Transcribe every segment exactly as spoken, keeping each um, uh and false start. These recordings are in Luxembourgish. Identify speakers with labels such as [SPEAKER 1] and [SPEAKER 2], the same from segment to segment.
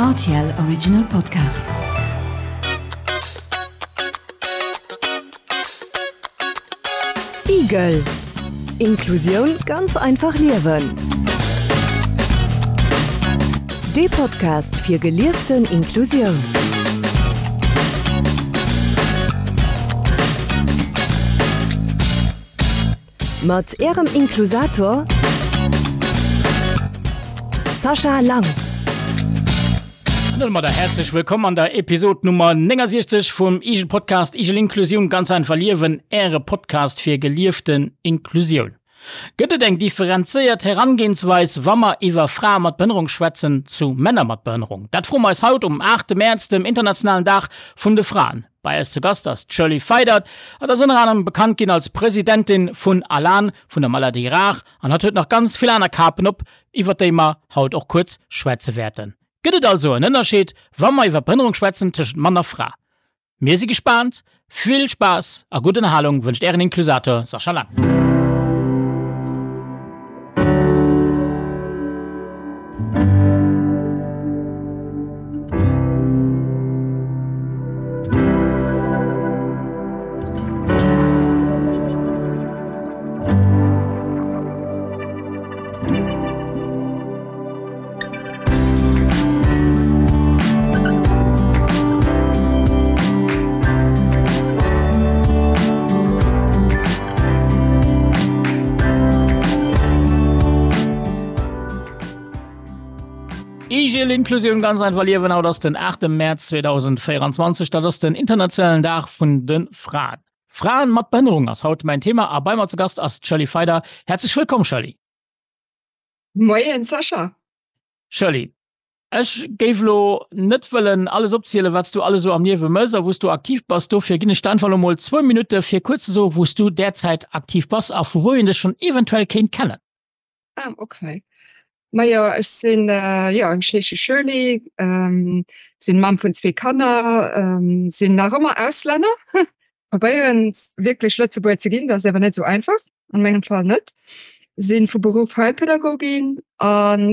[SPEAKER 1] R T L Original Podcast.
[SPEAKER 2] Igel. Inklusioun ganz einfach liewen. De Podcast fir gelieften Inklusioun. Mat Ärem Inklusator Sascha Lang.
[SPEAKER 3] An domadder häerzlech wëllkomm an der Episod Nummer néngasiechzeg vum Igel Podcast Igel Inklusioun ganz einfach liewen, Äre Podcast fir gelieften Inklusioun. Gëtt et eng differenzéiert Herangehensweis, wa mer iwwer Frae mat Behënnerung schwätzen, zu Männer mat Behënnerung? Dat froe mer eis haut um aachte Mäerz, dem internationalen Dag vun de Fraen. Bei eis zu Gast ass d'Shirley Feidert. Hatt ass ënner anerem bekannt ginn als Presidentin vun ALAN, vun der Maladie Rare, an hatt huet nach ganz vill aner Kapen op, iwwer déi mer haut och kuerz schwätze wäerten. Gëtt et also en Ënnerscheed, wa mer iwwer Behënnerung schwätzen, tëschent Mann a Fra? Mir si gespaant! Vill Spaass a gutt Ënnerhalung wënscht Ären Inklusator Sascha Lang. Igel Inklusioun ganz einfach liewen, haut ass den aachte Mäerz zweedausendvéieranzwanzeg, dat ass den internationalen Dag vun de Fraen. Fraen mat Behënnerung ass haut mäin Thema a bei mer zu Gast ass d'Shirley Feider. Häerzlech wëllkomm Shirley.
[SPEAKER 4] Moien Sascha.
[SPEAKER 3] Shirley, ech géif elo net wëllen alles opzielen, wat s du alles esou am Liewe mëss a wou s du aktiv bass. Dofir ginn ech der einfach elo mol zwou Minutte fir kuerz ze soen, wou s du derzäit aktiv bass a vu wou een dech schonn eventuell kéint kennen.
[SPEAKER 4] Ah, okay. Majo, ech sinn, jo, ech heesche Shirley, sinn Mamm vun zwee Kanner, sinn nach ëmmer Auslänner, probéieren wierklech Lëtzebuerger ze ginn, dat ass awer net esou einfach, an mengem Fall net. Sinn vu Beruff Heilpädagogin an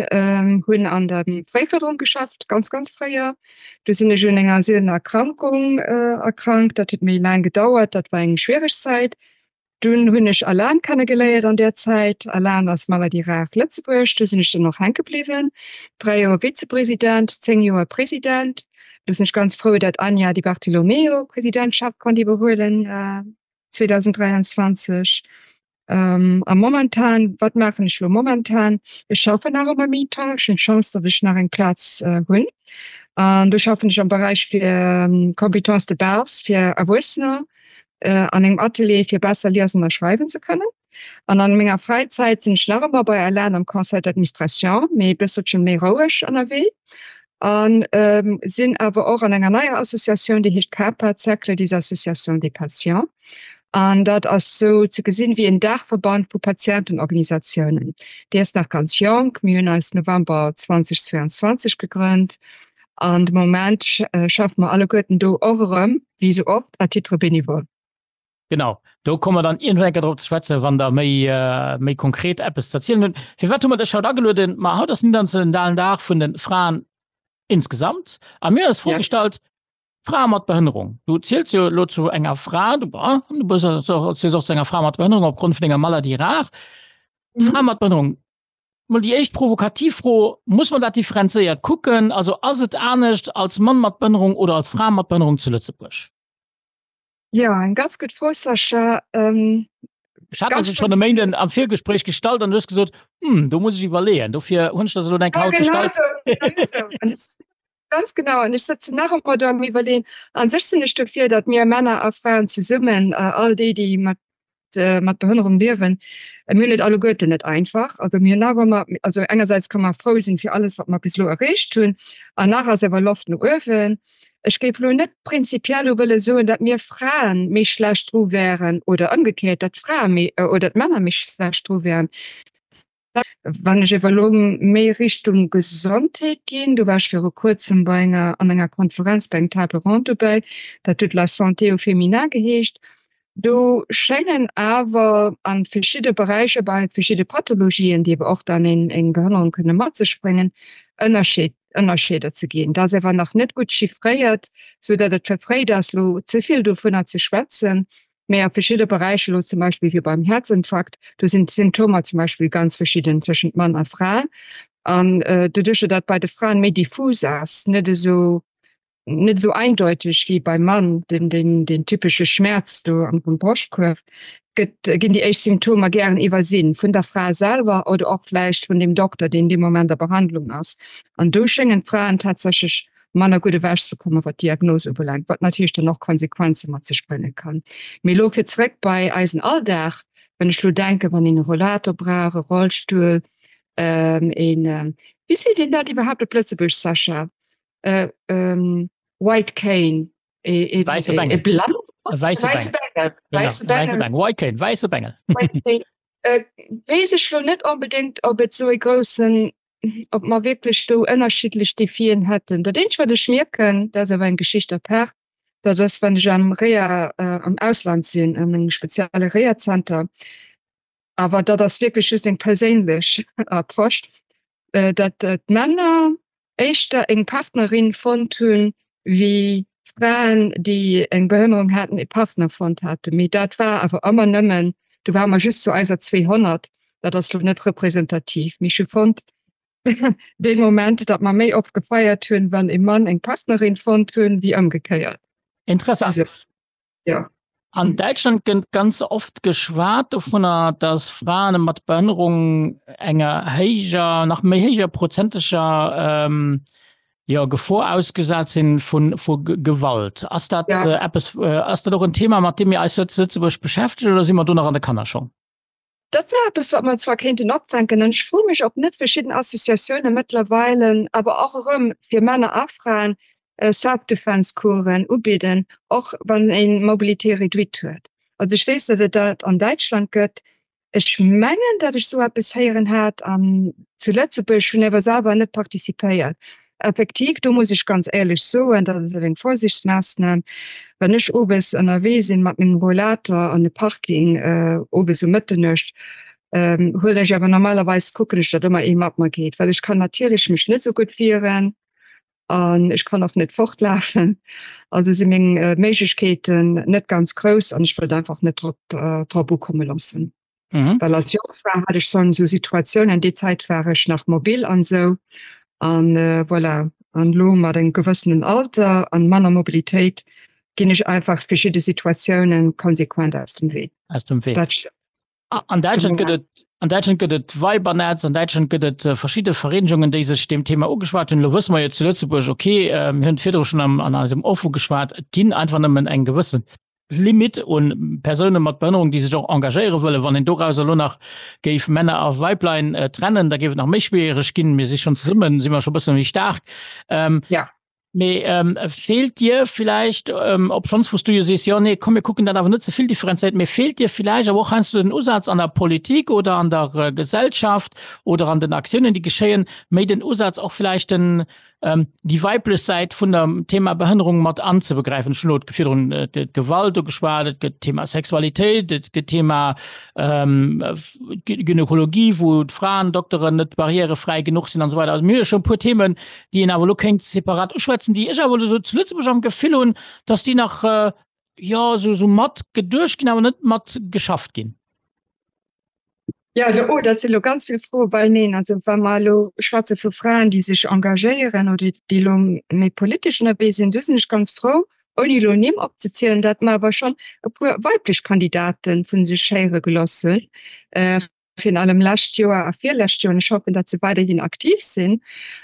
[SPEAKER 4] hunn an der Fréifërderung geschafft, ganz, ganz fréier. Du sinn ech un enger sielener Erkrankung erkrankt, dat huet méi laang gedauert, dat war eng schwiereg Zäit. Dunn hunn ech Alan kennegeléiert an där Zäit. Alan ass Maladie rare Lëtzebuerg. Do sinn ech dann och hänke bliwwen. Dräi Joer Vizepresident, zéng Joer President. Do sinn ech ganz frou, dat Anja Di Bartolomeo d'Presidentschaft konnt iwwerhuelen zweedausenddräianzwanzeg. A momentan, wat maachen ech elo momentan? Ech schaffen nach ëmmer mi-temps. Ech hunn d'Chance, datt ech nach eng Plaz hunn. An do schaffen ech am Beräich fir Compétences de base fir Erwuessener an engem Atelier fir besser liesen a schreiwen ze kënnen. An an menger Fräizäit sinn ech nach ëmmer bei ALAN am Conseil d'administration, mee e bësselche méi roueg ënnerwee. An sinn awer och an enger neier Associatioun, déi heescht CAPA, Cercle des associations des patients. An dat ass sou ze gesinn wéi en Daachverband vu Patientenorganisatiounen. Déi ass nach ganz jonk, mir hunn eis November zweedausendzweianzwanzeg gegrënnt an de Moment schaffe mer alleguerten do och erëm, wéi sou oft, à titre bénévole.
[SPEAKER 3] Genau, do komme mer dann iergendwann eng Kéier drop ze schwätzen, wann Der méi, méi konkret eppes ze erzielen hutt. Firwat hu mer dech haut agelueden? Ma haut ass den internationalen Dag vun de Fraen insgesamt a mir hunn eis d'Fro gestallt, Frae mat Behënnerung, du ziels jo elo zu enger Fra, du du ziels och zu enger Fra mat Behënnerung opgrond vun denger Maladie rare. Frae mat Behënnerung, mol déi éischt provokativ Fro, Muss man dat differenzéiert kucken? Also ass et anescht als Mann mat Behënnerung oder als Fra mat Behënnerung zu Lëtzebuerg?
[SPEAKER 4] Jo, eng ganz gutt Fro, Sascha.
[SPEAKER 3] Ech hat der se schonn e Méinden am Virgespréich gestallt an du hues gesot, Hm, do muss ech iwwerleeën. Dofir hunn ech der se elo eng Kéier haut gestallt.
[SPEAKER 4] Ganz genau, an ech sëtzen nach ëmmer do am Iwwerleeën. A sech sinn ech dofir, datt mir Männer a Fraen zesummen, all déi, déi mat mat Behënnerung liewen, mir hunn et alleguerten net einfach. Also mir hunn nach ëmmer, also engersäits ka mer frou sinn fir alles, wat mer bis elo erreecht hunn, an nach ass awer Loft no uewen. Ech géif elo net prinzipiell elo wëlle soen, datt mir Fraen méi schlecht dru wären oder ëmgekéiert, datt d'Frae méi oder d'Männer méi schlecht dru wären. Wann ech ewer elo méi Richtung Gesondheet ginn, do war ech viru kuerzem bei enger, an enger Konferenz bei engem Table ronde dobäi, dat huet La santé au féminin geheescht, do schéngen awer a verschidde Beräicher bei verschidde Pathologien, déi ewer och dann eng Behënnerung kënne mat sech bréngen, Ënnerscheed Ënnerscheeder ze ginn. Dat ass awer nach net gutt chiffréiert, sou datt et verfréit ass, elo ze vill dovunner ze schwätzen. Mee a verschidde Beräicher, elo zum Beispill wéi beim Häerzinfarkt, do sinn d'Symptomer zum Beispill ganz verschidden tëschent Mann a Fra. An doduercher datt bei de Fraen méi diffus ass, net esou net esou eindeuteg wéi beim Mann, den, den, den typesche Schmerz do am Broschtkuerf, gëtt, ginn déi éischt Symptomer gären iwwersinn vun der Fra selwer oder och vläicht vun dem Dokter, deen dee Moment a Behandlung ass. An do schéngen d'Fraen tatsächlech manner gutt ewechzekommen, wat d'Diagnos ubelaangt, wat natierlech dann och Konsequenze mat sech brénge kann. Mee elo fir zeréck bei eisen Alldag, wann ech elo denken, wann een e Rollator brauch, e Rollstull, een, wéi seet een dat iwwerhaapt op Lëtzebuergesch, Sascha? Äh, ähm, White Cane,
[SPEAKER 3] e, e, Wäisse Bengel. E Blann? E wäisse Bengel. Wäisse Bengel. Genau, White Cane, wäisse Bengel.
[SPEAKER 4] White Cane. Äh, weess ech lo net onbedéngt, ob et sou e groussen, ob mer wierklech do ënnerschiddlech Defien hätten. Dat eenzegt, wat ech mierken, dat ass awer eng Geschicht apart, dat ass, wann ech am Reha, äh, am Ausland sinn, an engem spezielle Reha-Zenter, awer dat ass wierklech just eng perséinlech Approche, äh, dat d'Männer éischter eng Partnerin fonnt hunn, wéi Fraen, déi eng Behënnerung haten, e Partner fonnt haten. Mee dat war awer ëmmer nëmmen, do ware mer just zu eiser zweehonnert, dat ass lo net representativ. Mee ech hu fonnt dee Moment, datt mer méi oft gefeiert hunn, wann e Mann eng Partnerin fonnt hunn, wéi ëmgekéiert.
[SPEAKER 3] Interessant.
[SPEAKER 4] Ja.
[SPEAKER 3] An Däitschland gëtt ganz oft geschwat dovunner, dass Fraen mat Behënnerung enger héijer, nach méi héijer prozenteger ähm, ja, Gefor ausgesat sinn vun vu Gewalt. Ass dat ja. äh, eppes, äh, ass dat och en Thema, mat deem mir eis zu Lëtzebuerg beschäftegen oder si mer do nach an de Kannerschong?
[SPEAKER 4] Dat wär eppes, wat mer zwar kéinten opfänken, an ech froe mech, ob net verschidden Associatioune mëttlerweile awer och erëm fir Männer a Fraen Self-Defense-Coursen ubidden, och wann ee Mobilité réduite huet. Also ech weess, datt et dat an Däitschland gëtt. Ech mengen, datt ech esou eppes héieren hat an zu Lëtzebuerg, hunn awer selwer net participéiert. Effektiv, do muss ech ganz éierlech soen, dat ass awer eng Vorsichtsmaassnam, wann ech owes ënnerwee sinn mat mengem Rollator an e Parking, owes um Mëtternuecht, huelen ech awer normalerweis, kucken ech, datt ëmmer ee mat mer geet, well ech kann natierlech mech net esou gutt wieren an ech kann och net fortlafen. Also si meng Méiglechkeeten net ganz grouss an ech wëllt einfach net drop drop ukomme loossen. Mhm. Well als Jongfra hat ech schon esou Situatiounen, déi Zäit war ech nach mobil an esou an äh, voilà. An lo mat engem gewëssenen Alter an manner Mobilitéit ginn ech einfach verschidde Situatiounen konsequent aus dem Wee.
[SPEAKER 3] Aus dem Wee. Dat An Däitschland gëtt et an Däitschland gëtt et Weibernetz, an Däitschland gëtt et äh, verschidde Vereenegungen, déi sech dem Thema ugeschwat hunn. Lo wësse mer jo zu Lëtzebuerg, okay, äh, mir hunn virdru schon am, an eisem Off ugeschwat, et ginn einfach nëmmen eng gewëssen Limit un Persoune mat Behënnerung, déi sech och engagéiere wëllen. Wann een dorauser elo nach géif Männer a Weiblein äh, trennen, da géif et nach méi schwiereg ginn. Mir si schon zesummen, si mer schon bësse méi staark. Ähm,
[SPEAKER 4] ja.
[SPEAKER 3] Mee ähm, feelt dir vielleicht, ähm, obschonns wou s du jo sees, jo nee, komm mir kucken dat awer net ze vill differenzéiert, mee feelt dir vielleicht awer och heiansdo den Usaz an der Politik oder an der äh, Gesellschaft oder an den Aktiounen, déi geschéien, méi den Usaz och vielleicht den, déi weiblech Säit vun dem Thema Behënnerung mat anzebegräifen. Ech hunn elo virdrun d'Gewalt ugeschwat, et gëtt d'Thema Sexualitéit, et gëtt d'Thema Gynekologie, wou d'Fraendokteren net barrièrefräi genuch sinn an esou weider. Also mir hu jo scho e puer Themen, déi een awer elo kéint separat uschwätzen, déi ech awer elo zu Lëtzebuerg am Gefill hunn, dass déi nach, jo, esou mat geduecht ginn, awer net mat geschafft ginn.
[SPEAKER 4] Jo, elo, oh, dat sinn elo ganz vill Froe beieneen. Also wa mer elo schwätze vu Fraen, déi sech engagéieren oder déi elo méi politesch ënnerwee sinn, do sinn ech ganz frou, ouni elo Nimm opzezielen, datt mer awer schonn e puer weiblech Kandidate vu sech héiere gelooss hunn, virun allem lescht Joer a virlescht Joer, an ech hoffen, datt se weiderhin aktiv sinn.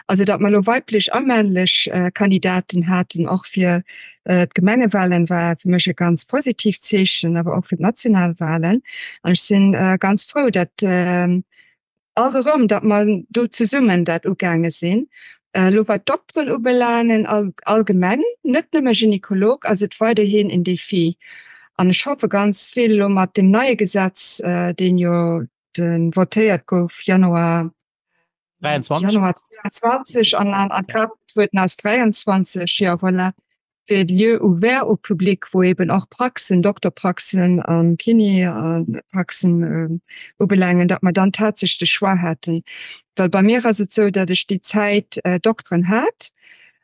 [SPEAKER 4] Also datt mer elo weiblech a männlech Kandidaten haten, och fir D'Gemengewahlen war fir mech e ganz positiivt Zeechen, awer och fir d'Nationalwahlen. An ech si ganz frou, datt alt erëm, datt mer do zesummen dat ugaange sinn. Elo wat d'Dokteren ubelaangen, allgemeng, net nëmme Gynekolog, ass et weiderhin en Défi. An ech hoffe ganz vill elo mat deem neie Gesetz, deen jo votéiert gouf Januar dräiundzwanzeg an a Kraaft getrueden ass dräiundzwanzeg, jo voilà, fir Lieux ouverts au public, wou eben och Praxen, Dokterpraxen an Kinépraxen ubelaangen, datt mer dann tatsächlech de Choix hätten. Well bei mir ass et esou, datt ech déi Zäit Dokteren hat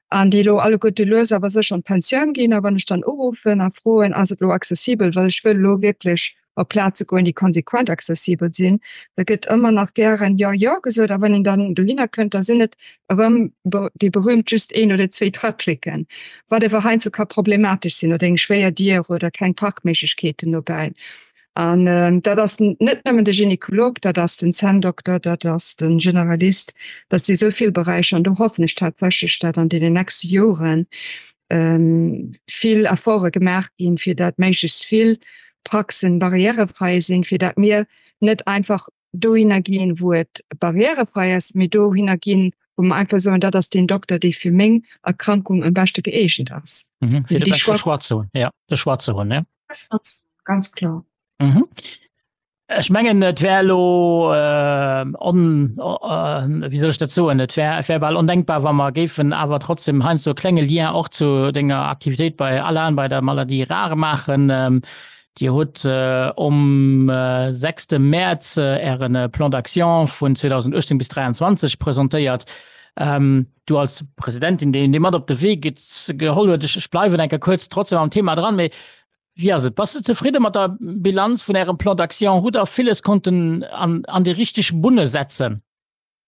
[SPEAKER 4] an déi elo alleguerte lues awer sécher an d'Pensioun ginn. A wann ech dann uruffen a froen, ass et elo accessibel, well ech wëll elo wierklech op Plaze goen, déi konsequent accessibel sinn, da gëtt ëmmer nach gären jo, jo gesot. A wann een dann dohinner kënnt, da sinn et erëm déi berühmt just een oder zwee Träppleken, wat awer heiansdo ka problematesch sinn, oder eng schwéier Dier oder keng Parkméiglechkeeten dobäi. An dat ass net nëmmen de Gynekolog, dat ass den Zänndokter, dat ass de Generalist, dat si sou vill Beräicher. An do hoffen ech tatsächlech, dat an deenen nächste Joren vill Efforte gemaach ginn, fir dat méiglechst vill Praxen barrièrefrei sinn, fir dat mir net einfach dohinner ginn, wou et barrièrefrei ass, mee dohinner ginn, wou mer einfach soen, dat ass deen Dokter, dee fir meng Erkrankung am beschte gëeegent ass.
[SPEAKER 3] Mhm, fir de beschte Choix ze hunn, ja, de Choix ze hunn, ne?
[SPEAKER 4] Ganz kloer.
[SPEAKER 3] Mhm. Ech mengen, et wär elo on, wéi soll ech dat soen, et wär, et wär bal ondenkbar, wa mer géifen awer trotzdem heiansdo e klenge Lien och zu denger Aktivitéit bei Alan, bei der Maladie rare maachen. Dir hutt um sechste Mäerz Äre Plan d'action vun zweedausenduechtzéng bis dräianzwanzeg presentéiert. Du als Presidentin, déi dee mat op de Wee geholl huet, ech bleiwen eng Kéier kuerz trotzdem am Thema dran, mee wéi ass et, bass de zefridde mat der Bilanz vun Ärem Plan d'action? Hutt Der villes konnten an déi richteg Bunne setzen?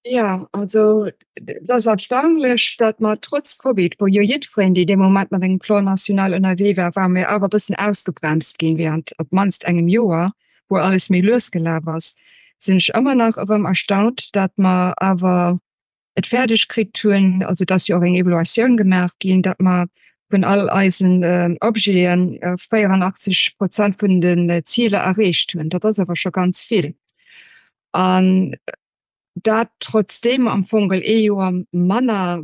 [SPEAKER 4] Jo, also et ass erstaunlech, datt mer trotz Covid, wou jo jiddwereen, dee dee Moment mat engem Plan national ënnerwee war, ware mir awer e bëssen ausgebremst ginn während op d'mannst engem Joer, wou alles méi lues gelaf ass, sinn ech ëmmer nach erëm erstaunt, datt mer awer et fäerdeg kritt hunn, also et ass jo och eng Evaluatioun gemaach ginn, datt mer vun all eisen Objeten véierandachtzeg Prozent vun den Ziler erreecht hunn. Dat ass awer scho ganz vill. An dat trotzdeem am Fong ee Joer manner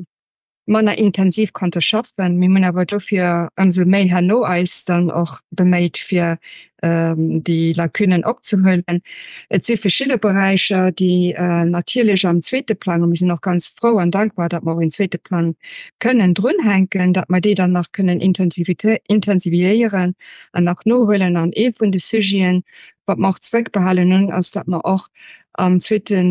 [SPEAKER 4] manner intensiv konnte schaffen. Mir hunn awer dofir ëmsou méi herno eis dann och beméit fir déi Lacunen opzehuelen. Et si verschidde Beräicher, déi natierlech am zweete Plang, a mir sinn och ganz frou an dankbar, datt mer och een zweete Plang kënnen drunhänken, datt mer déi dann nach kënnen intensiviéieren an nach nohuelen. An ee vun de Sujeten, Wat mer och zréckbehalen hunn, ass, datt mer och am zweete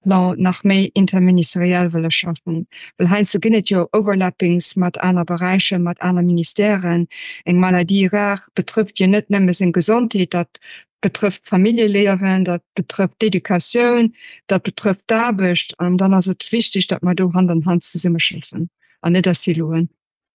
[SPEAKER 4] Plan nach méi interministeriell wëlle schaffen. Well heiansdo ginn et jo Overlappings mat aner Beräicher, mat aner Ministèren. Eng Maladie rare betrëfft jo net nëmme seng Gesondheet, dat betrëfft d'Familljeliewen, dat betrëfft d'Educatioun, dat betrëfft d'Aarbecht. An dann ass et wichteg, datt mer do Hand an Hand zesummeschaffen an net a Siloen.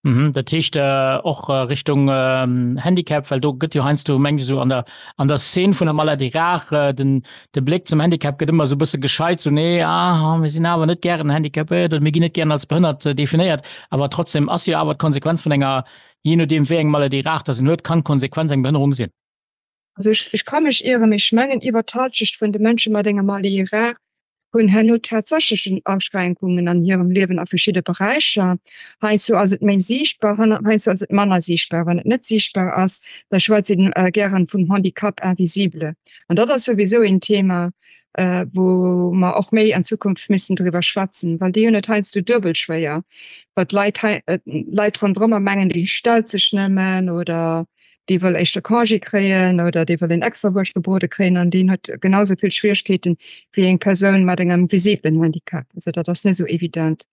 [SPEAKER 3] Mhm, dat heescht och Richtung Handicap, well do gëtt jo heiansdo, meng ech, esou an der, an der Szene vun der Maladie rare, den, de Bléck zum Handicap gëtt ëmmer esou e bësse gescheit, sou nee, ah, mir sinn awer net gären handicapéiert oder mir ginn net gären als behënnert definéiert. Awer trotzdem ass jo awer d'Konsequenz vun enger, jee nodeem wéi eng Maladie rare dass een huet, kann d'Konsequenz eng Behënnerung sinn.
[SPEAKER 4] Also ech, ech ka mech ieren, mee ech mengen iwwer d'Halschecht vun de Mënsche mat enger Maladie rare hunn herno tatsächlechen Aschränkungen an hirem Liewen a verschidde Beräicher. Heiansdo ass et méi siichtbar, heiansdo ass et manner siichtbar. Wann et net siichtbar ass, da schwätzt een gären vum Handicap invisible. An dat ass souwisou een Thema, wou mer och méi an Zukunft missen driwwer schwätzen, well déi hunn et heiansdo duebel schwéier, well d'Leit hei, d'Leit ronderëmmer mengen, déi stellt sech nëmmen oder dee wëll éischter Congé kréien oder dee wëll en extra Wurscht gebrode kréien an deen huet genau esou vill Schwieregkeeten wéi eng Persoun mat engem visiblen Handicap. Also dat ass net esou evident.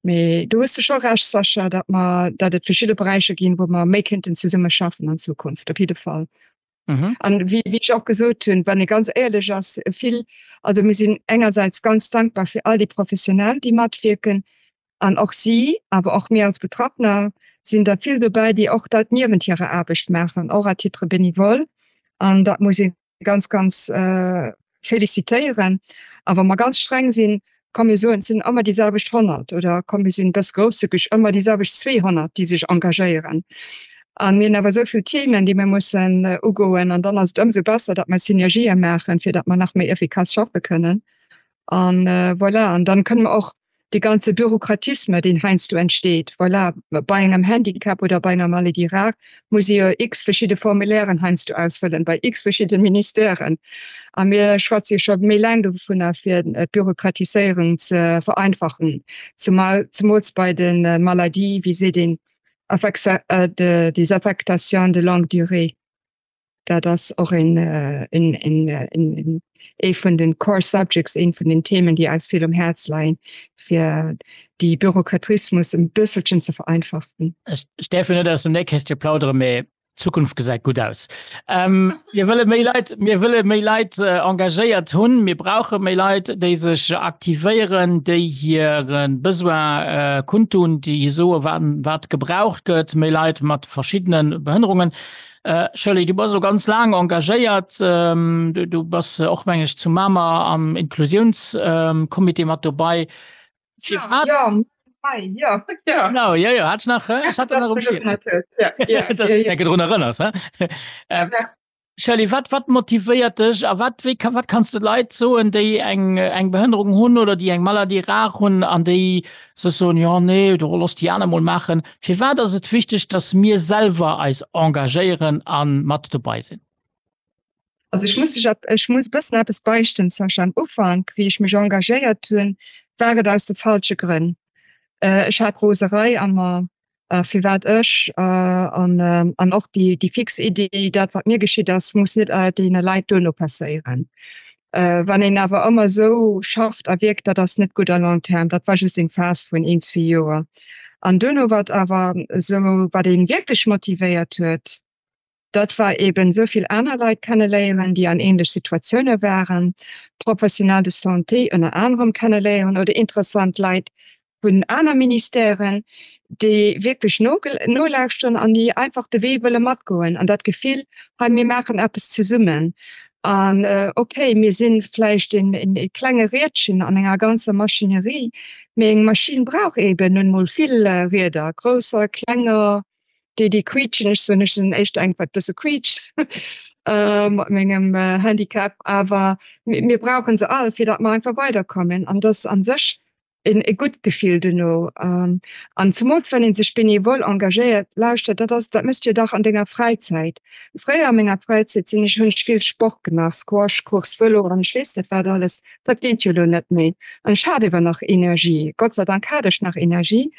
[SPEAKER 4] Mee do hues de scho Recht, Sascha, datt mer, datt et verschidde Beräicher ginn, wou mer méi kéinten zesumme schaffen an Zukunft, op jidde Fall. An wéi ech och gesot hunn, wann ee ganz éierlech ass, vill, also mir sinn engersäits ganz dankbar fir all déi Professionell, déi matwierken, An och si, awer och mir als Betraffener, sinn der vill dobäi, déi och dat niewent hirer Aarbecht maachen, och à titre bénévole. An dat muss ee ganz, ganz félicitéieren. A wa mer ganz streng sinn, komm mir soen, et sinn ëmmer déi selwecht honnert oder komm mir sinn e bësse grousszügeg, ëmmer déi selwecht zweehonnert, déi sech engagéieren. A mir hunn awer esou vill Themen, déi mir mussen ugoen. An dann ass et ëmsou besser, datt mer Synergië maachen, fir datt mer nach méi effikass schaffe kënnen. An voilà, an dann kënne mer och dee ganze Bürokratisme, deen heiansdo entsteet, voilà, bei engem Handicap oder bei enger Maladie rare muss ee jo x verschidde Formulairen heiansdo ausfëllen, bei x verschidde Ministèren. A mir schwätze jo scho méi laang dovunner, fir d'Bürokratiséierung ze vereinfachen, zumal, zemools bei de Maladie, wéi seet een, des affectations de longue durée. Dat ass och een, een, een, ee vun den Core Subjects, een vun den Themen, déi eis vill um Häerz leien, fir déi Bürokratismus e bësselchen ze vereinfachen.
[SPEAKER 3] Ech däerf jo net aus dem Nähkästche plauderen, mee d'Zukunft gesäit gutt aus. Ähm, mir wëlle méi Leit, mir wëlle méi Leit äh, engagéiert hunn. Mir brauche méi Leit, déi sech aktivéieren, déi hire Besoin äh, kundtun, déi soe wat, wat gebraucht gëtt, méi Leit mat verschiddene Behënnerungen. Äh, Shirley, du bass scho ganz laang engagéiert, ähm, du, du bass och meng ech zu Mamer am Inklusiounscomité ähm, mat dobäi.
[SPEAKER 4] Ja, ja. Ja,
[SPEAKER 3] ja. Genau, ja, ja. Hat nach, äh? hat nach ja, ja, ja, ja. drun erënners, ähm, Shirley, wat, wat motivéiert dech a wat, wéi, wat kanns de Leit soen, déi eng, eng Behënnerung hunn oder déi eng Maladie rare hunn an déi sech soen, jo nee, do looss déi aner mol maachen. Firwat ass et wichteg, dass mir selwer eis engagéieren a mat dobäi sinn?
[SPEAKER 4] Also ech muss dech, ech muss e bëssen eppes beichten, Sascha. Am Ufank, wéi ech mech engagéiert hunn, war et aus de falsche Grënn. Ech hat Roserei a mer, firwat ech, an an och déi déi fix Iddi, dat wat mir geschitt ass, muss net deene Leit duerno passéieren. Wann een awer ëmmer esou schafft a wierkt, dat ass net gutt à long terme. Dat war just eng Phas vun een, zwee Joer. An duerno, wat awer esou, wat ee wierklech motivéiert huet, Dat war eben esou vill aner Leit kenneléieren, déi an ähnlech Situatioune waren, Professionnels de santé ënner anerem kenneléieren oder interessant Leit vun aner Ministèren, déi wierklech nolauschteren an déi einfach de Wee wëlle matgoen an dat Gefill, hei mir maachen eppes zesummen an okay, mir si vläicht e klenge Riedchen an enger ganzer Maschinerie, mee eng Maschinn brauch eben nun emol vill Rieder, grousser, klenger. Déi déi quietschen, ech soen ech sinn éischter eng wat bësse quietscht mat mengem Handicap, awer mir brauchen se all fir datt mer einfach weiderkommen an dat ass an sech en e gutt Gefill duerno an zemools wann ee sech bénévol engagéiert. Lauschtert, dat ass dat méchs de jo dach an denger Fräizäit. Fréier a menger Fräizäit sinn ech hunn ech vill Sport gemaach, Squash, Course, Vëlo an ech weess net wat alles. Dat geet jo elo net méi an ech hat ewer nach Energie, Gott sei Dank hat ech nach Energie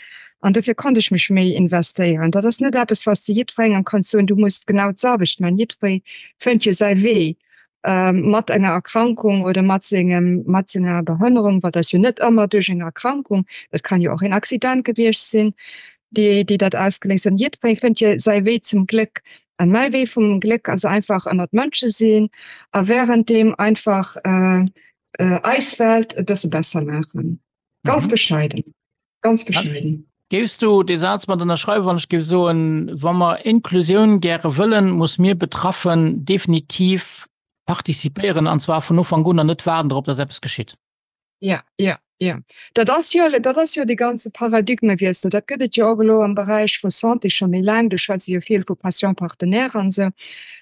[SPEAKER 4] An dofir konnt ech mech méi investéieren. Dat ass net eppes, wat s de jiddwerengem kanns soen, du muss genau d'selwecht maachen. Jiddweree fënnt jo säi Wee mat enger Erkrankung oder mat sengem, mat senger Behënnerung, wat ass jo net ëmmer duerch eng Erkrankung, dat kann jo och een Accident gewiescht sinn, déi, déi dat ausgeléist huet. Jiddweree fënnt jo säi Wee zum Gléck. An mäi Wee vum Gléck ass einfach ënnert Mënsche sinn a wärenddeem einfach eis Welt e bësse besser maachen. Ganz bescheiden. Ganz bescheiden.
[SPEAKER 3] Géifs du dee Saz mat ënnerschreiwen, wann ech géif soen, wa mer Inklusioun gäre wëllen, muss mir Betraffen definitiv participéieren, an zwar vun Ufank un an net waarden drop, datt eppes geschitt?
[SPEAKER 4] Ja, ja, ja. Dat ass jo, dat ass jo dee ganze Paradigmewiessel. Dat gëtt et jo och elo am Beräich vu Santé scho méi laang. Do schwätze jo vill vu Patients partenaires an esou.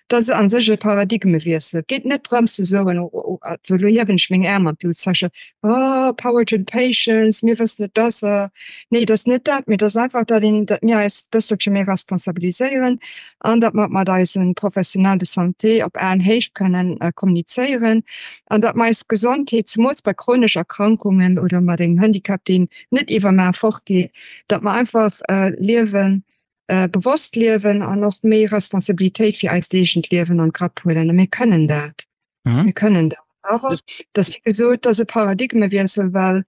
[SPEAKER 4] Dat ass a sech e Paradigmewiessel. Et geet net drëms ze soen, also elo hiewen ech meng Äerm an d'Lut, Sascha, oh, power to the patients, mir wëssen et besser. Nee, et ass net dat, mee et ass einfach, datt een, datt mir eis e bësselche méi responsabiliséieren an datt mer mat eise Professionnels de santé op Aenhéicht kënnen kommunizéieren an datt mer eis Gesondheet, zemools bei chronesch Erkrankungen oder mat engem Handicap, deen net iwwermaach fortgeet, datt mer einfach liewen, bewosst liewen an och méi Responsabilitéit fir eist eegent Liewen an d'Grapp huelen. A mir kënnen dat. Mhm. Mir kënnen dat. Awer dat wéi gesot, dat ass e Paradigmewiessel, well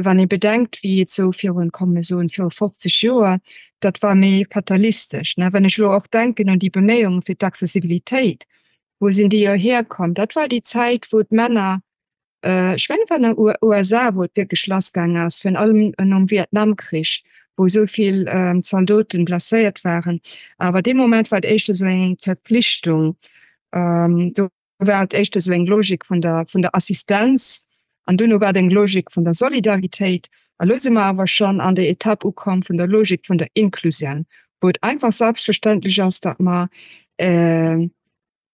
[SPEAKER 4] wann ee bedenkt, wéi et sou virun, komm mir soen, viru fofzeg Joer, dat war méi fatalistesch, ne? Wann ech elo och denken un déi Beméiunge fir d'Accessibilitéit, wou sinn déi jo hierkomm? Dat war déi Zäit, wou d'Männer Ech mengen et war an der U S A wou et wierklech lass gaang ass, virun allem nom Vietnamkrich, wou esou vill Zaldoten blesséiert waren. Awer dee Moment war et éischter esou eng Verpflichtung, do war et éischter esou eng Logik vun der vun der Assistenz an duerno war et eng Logik vun der Solidaritéit. A lo si mer awer schonn an der Etapp ukomm vun der Logik vun der Inklusioun, wou et einfach selbstverständlech ass, datt mer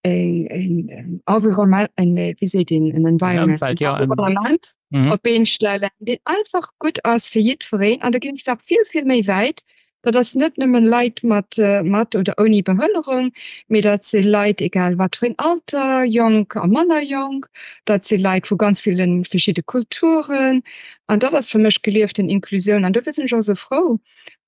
[SPEAKER 4] een Environnement, een, wéi seet een, en Environment,
[SPEAKER 3] Ëmfeld, ja, en-
[SPEAKER 4] Environnement
[SPEAKER 3] Mhm.
[SPEAKER 4] op d'Been stellen, deen einfach gutt ass fir jiddwereen. An da ginn ech nach vill, vill méi wäit, Dat ass net nëmmen Leit mat, mat oder ouni Behënnerung, mee dat si Leit, egal wat fir een Alter, jonk a manner jonk, dat si Leit vu ganz ville verschidde Kulturen. An dat ass fir mech gelieften Inklusioun. An dofir sinn ech och esou frou,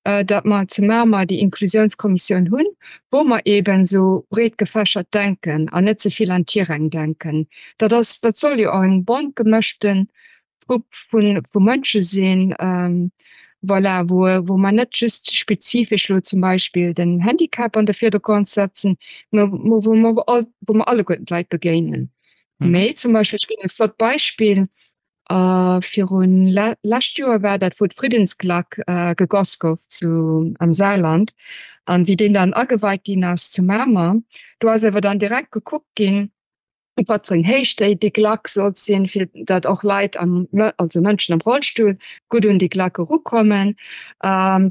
[SPEAKER 4] datt mer zu Mamer déi Inklusiounskommissioun hunn, wou mer eeben esou breet gefächert denken an net ze vill an Tiräng denken. Dat ass, dat soll jo och eng bont gemëschten Grupp vu vu Mënsche sinn, voilà, wou wou mer net just spezifesch elo zum Beispill den Handicap an de Virdergrond setzen, mä wou mer all, wou mer alleguerten d'Leit begéinen. Mee zum Beispill, ech ginn e flott Beispill, Virun lescht Joer war dat, wou d'Friddensklack gegoss gouf zu am Saarland an wéi deen dann ageweit ginn ass zu Mamer, do ass awer dann direkt gekuckt ginn, op wat fir eng Héicht déi déi Klack sollt sinn, fir datt och Leit am, also Mënschen am Rollstull gutt un déi Klack erukommen.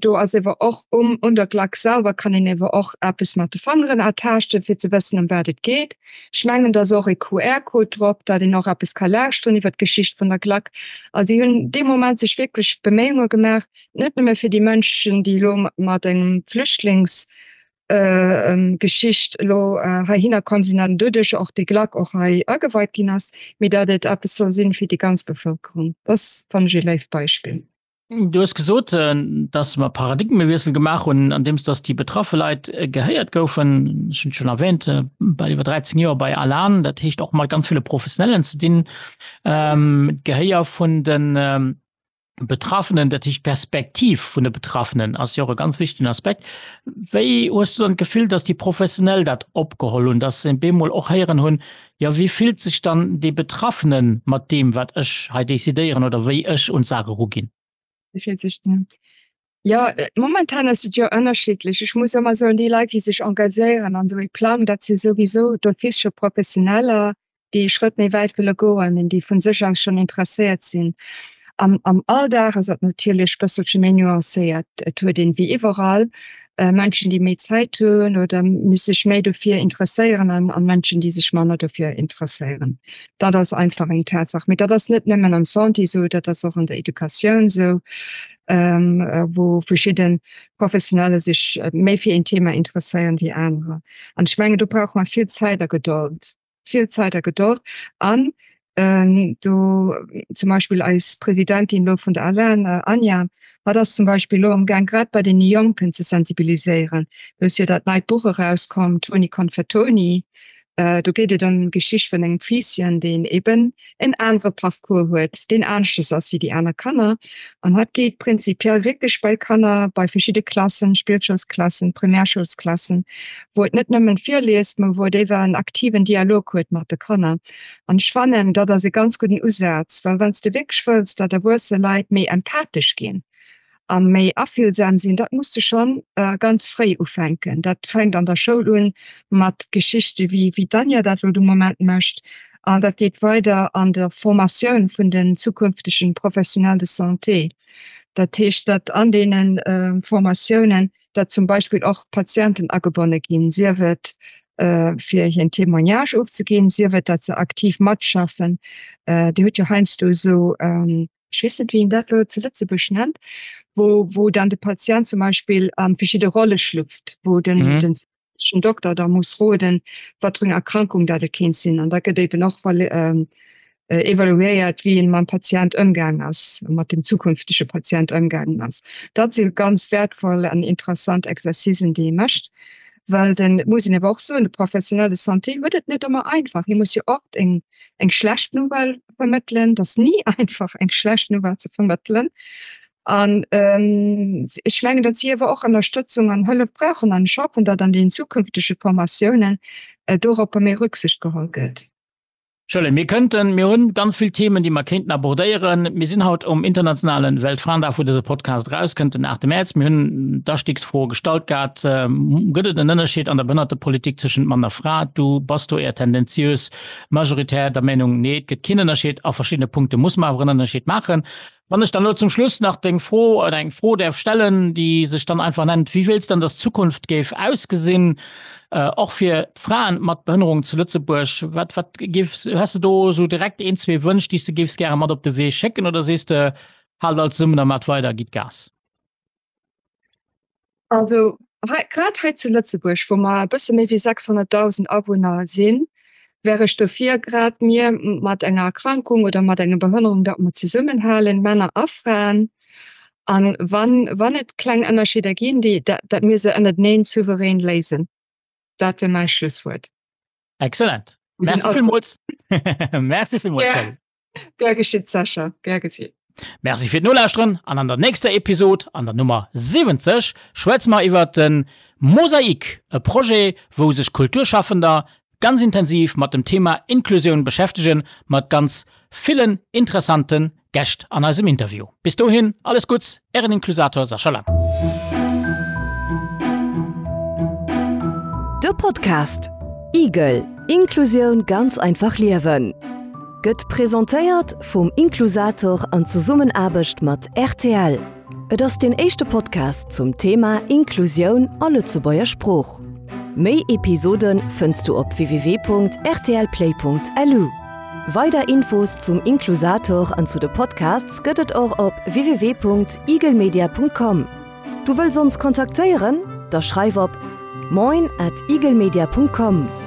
[SPEAKER 4] Do ass ewer och um un der Klack selwer kann een ewer och eppes mat de Fangeren ertaaschten, fir ze wëssen ëm wat et geet. Ech mengen, et ass och e Q R-Code drop, datt een och eppes ka lauschteren iwwer d'Geschicht vun der Klack. Also si hunn dee Moment sech wierklech Beméiunge gemaach, net nëmme fir déi Mënschen, déi elo mat engem Flüchtlingsgeschicht elo heihinner komm sinn an doduerch och déi Klack och hei ageweit ginn ass, mee datt et eppes soll sinn fir déi ganz Bevëlkerung. Dat fannen ech ee léift Beispill.
[SPEAKER 3] Du hues gesot, dass mer Paradigmewiessel gemaach hunn, andeems dass déi betraffe Leit gehéiert goufen. Ech hunn et schonn erwähnt, bal iwwer dräizéng Joer bei ALAN, dat heescht och mat ganz ville Professionellen ze dinn. D'Gehéier vun de Betraffenen, dat heescht d'Perspektiv vun de Betraffenen ass jo och e ganz wichtegen Aspekt. Wéi hues du dann d'Gefill, dass déi Professionell dat opgeholl hunn, dass se bemol och héieren hunn, jo wéi fillt sech dann dee Betraffene mat deem, wat ech hei decidéieren oder wéi ech un d'Saach eruginn?
[SPEAKER 4] Jo, momentan ass et jo ënnerschiddlech. Ech muss ëmmer soen, déi Leit, déi sech engagéieren an esou ee Plang, dat si souwisou d'office scho Professioneller, déi ee Schrëtt méi wäit wëlle goen an déi vu sech aus schonn interesséiert sinn. Am am Alldag ass dat natierlech bësselche méi nuancéiert. Et huet een, wéi iwwerall, Mënschen, déi méi Zäit hunn oder sech méi dofir interesséieren an an Mënschen, déi sech manner dofir interesséieren. Dat ass einfach eng Tatsaach. Mee dat ass net nëmmen am Santé esou, dat ass och an der Educatioun esou, wou verschidde Professioneller sech méi fir een Thema interesséieren wéi anerer. An ech mengen, do brauche mer vill Zäit a Gedold. Vill Zäit a Gedold an do zum Beispill eis Presidentin elo vun der ALAN, Anja, hatt ass zum Beispill elo amgaang grad bei deene Jonken ze sensibiliséieren. Do ass jo dat neit Buch erauskomm, Toni Konfettoni, do geet et ëm d'Geschicht vun engem Fiisschen, deen eben en anere Parcours huet, deen aneschtes ass wéi déi aner Kanner. An hatt geet prinzipiell wierklech bei Kanner, bei verschidde Klassen, Spillschoulsklassen, Primärschoulsklassen, wou et net nëmmen virliest, mä wou et éiwer en aktiven Dialog huet mat de Kanner. An ech fannen, dat ass e ganz gudden Usaz, well wann s de wierklech wëlls, datt erwuesse Leit méi empathesch ginn a méi afillsam sinn, dat muss de schonn ganz fréi ufänken. Dat fänkt an der Schoul un mat Geschichte wéi wéi d'Anja dat elo de Moment mécht an dat geet weider an der Formatioun vun den zukünftegen Professionnels de santé. Dat heescht, datt an deene Formatiounen, datt zum Beispill och Patienten agebonne ginn, sief et fir hir en Témoignage ofzeginn, sief et datt se aktiv matschaffen. Dir hutt jo heiansdo esou, ech weess net wéi een dat elo zu Lëtzebuerg nennt, wou wou dann de Patient zum Beispill a verschidde Rolle schlüpft, wou den den Dokter da muss roden, wat fir eng Erkrankung dat et kéint sinn. An da gëtt eben och evaluéiert, wéi een mam Patient ëmgaang ass, mat dem zukünftege Patient ëmgaangen ass. Dat si ganz wäertvoll an interessant Exercicen, déi ee mécht, well den, et muss een awer och soen, de Professionnel de santé huet et net ëmmer einfach. Hie muss jo oft eng eng schlecht Nouvelle vermëttelen. Et ass ni einfach, eng schlecht Nouvelle ze vermëttelen. An ech mengen, datt si awer och Ënnerstëtzung an Hëllef brauchen an ech hoffen, datt an den zukünftege Formatiounen doropper méi Rücksicht geholl gëtt.
[SPEAKER 3] Shirley, mir kënnten, mir hunn ganz vill Themen, déi mer kéinten abordéieren. Mir sinn haut um internationalen Weltfraendag, wou dëse Podcast erauskënnt, den aachte Mäerz. Mir hunn d'Astigsfro gestallt gehat, Gëtt et en Ënnerscheed an der Behënnertepolitik tëschent Mann a Fra? Du bass do éier tendenziös majoritär der Meenung, nee, et gëtt keen Ënnerscheed. A verschiddene Punkte muss mer awer en Ënnerscheed maachen. Wann ech dann elo zum Schluss nach deng Fro oder eng Fro däerf stellen, déi sech dann einfach nennt, Wéi wéilts dann, dass d'Zukunft géif ausgesinn, och fir d'Fraen mat Behënnerung zu Lëtzebuerg? Wat, wat géifs, hues de do esou direkt een, zwee Wënsch, déi s de géifs gäre mat op de Wee schécken oder sees de, Haalt all zesummen a maacht weider, gitt Gas?
[SPEAKER 4] Also hei, grad hei zu Lëtzebuerg, wou mer e bësse méi wéi sechshonnertdausend Awunner sinn, wär ech dofir, grad mir mat enger Erkrankung oder mat enger Behënnerung, datt mer zesummenhalen, Männer a Fraen, An wann wann et kleng Ënnerscheeder ginn, déi dat dat mir se ënnerteneen souverän léisen. Dat wier mäi Schlusswuert.
[SPEAKER 3] Excellent. Merci villmools. Merci villmools, Shelley.
[SPEAKER 4] Gär geschitt, Sascha. Gär geschitt.
[SPEAKER 3] Merci fir d'Nolauschteren an an der nächster Episod, an der Nummer siwwenzeg, schwätze mer iwwert de Mosaik, e Projet, wou sech Kulturschaffender ganz intensiv mat dem Thema Inklusioun beschäftegen, mat ganz villen interessante Gäscht an eisem Interview. Bis dohin, alles Gutts, Ären Inklusator Sascha Lang.
[SPEAKER 2] De Podcast Igel, Inklusioun ganz einfach liewen gëtt presentéiert vum Inklusator an Zesummenaarbecht mat rtl. Et ass deen éischte Podcast zum Thema Inklusioun a Lëtzebuerger Sprooch. Méi Episode fënns du op www.rtlplay.lu. Weider Infos zum Inklusator an zu de Podcasts gëtt et och op www.igelmedia.com. Du wëlls ons kontaktéieren? Da schreif op moin at igelmedia.com.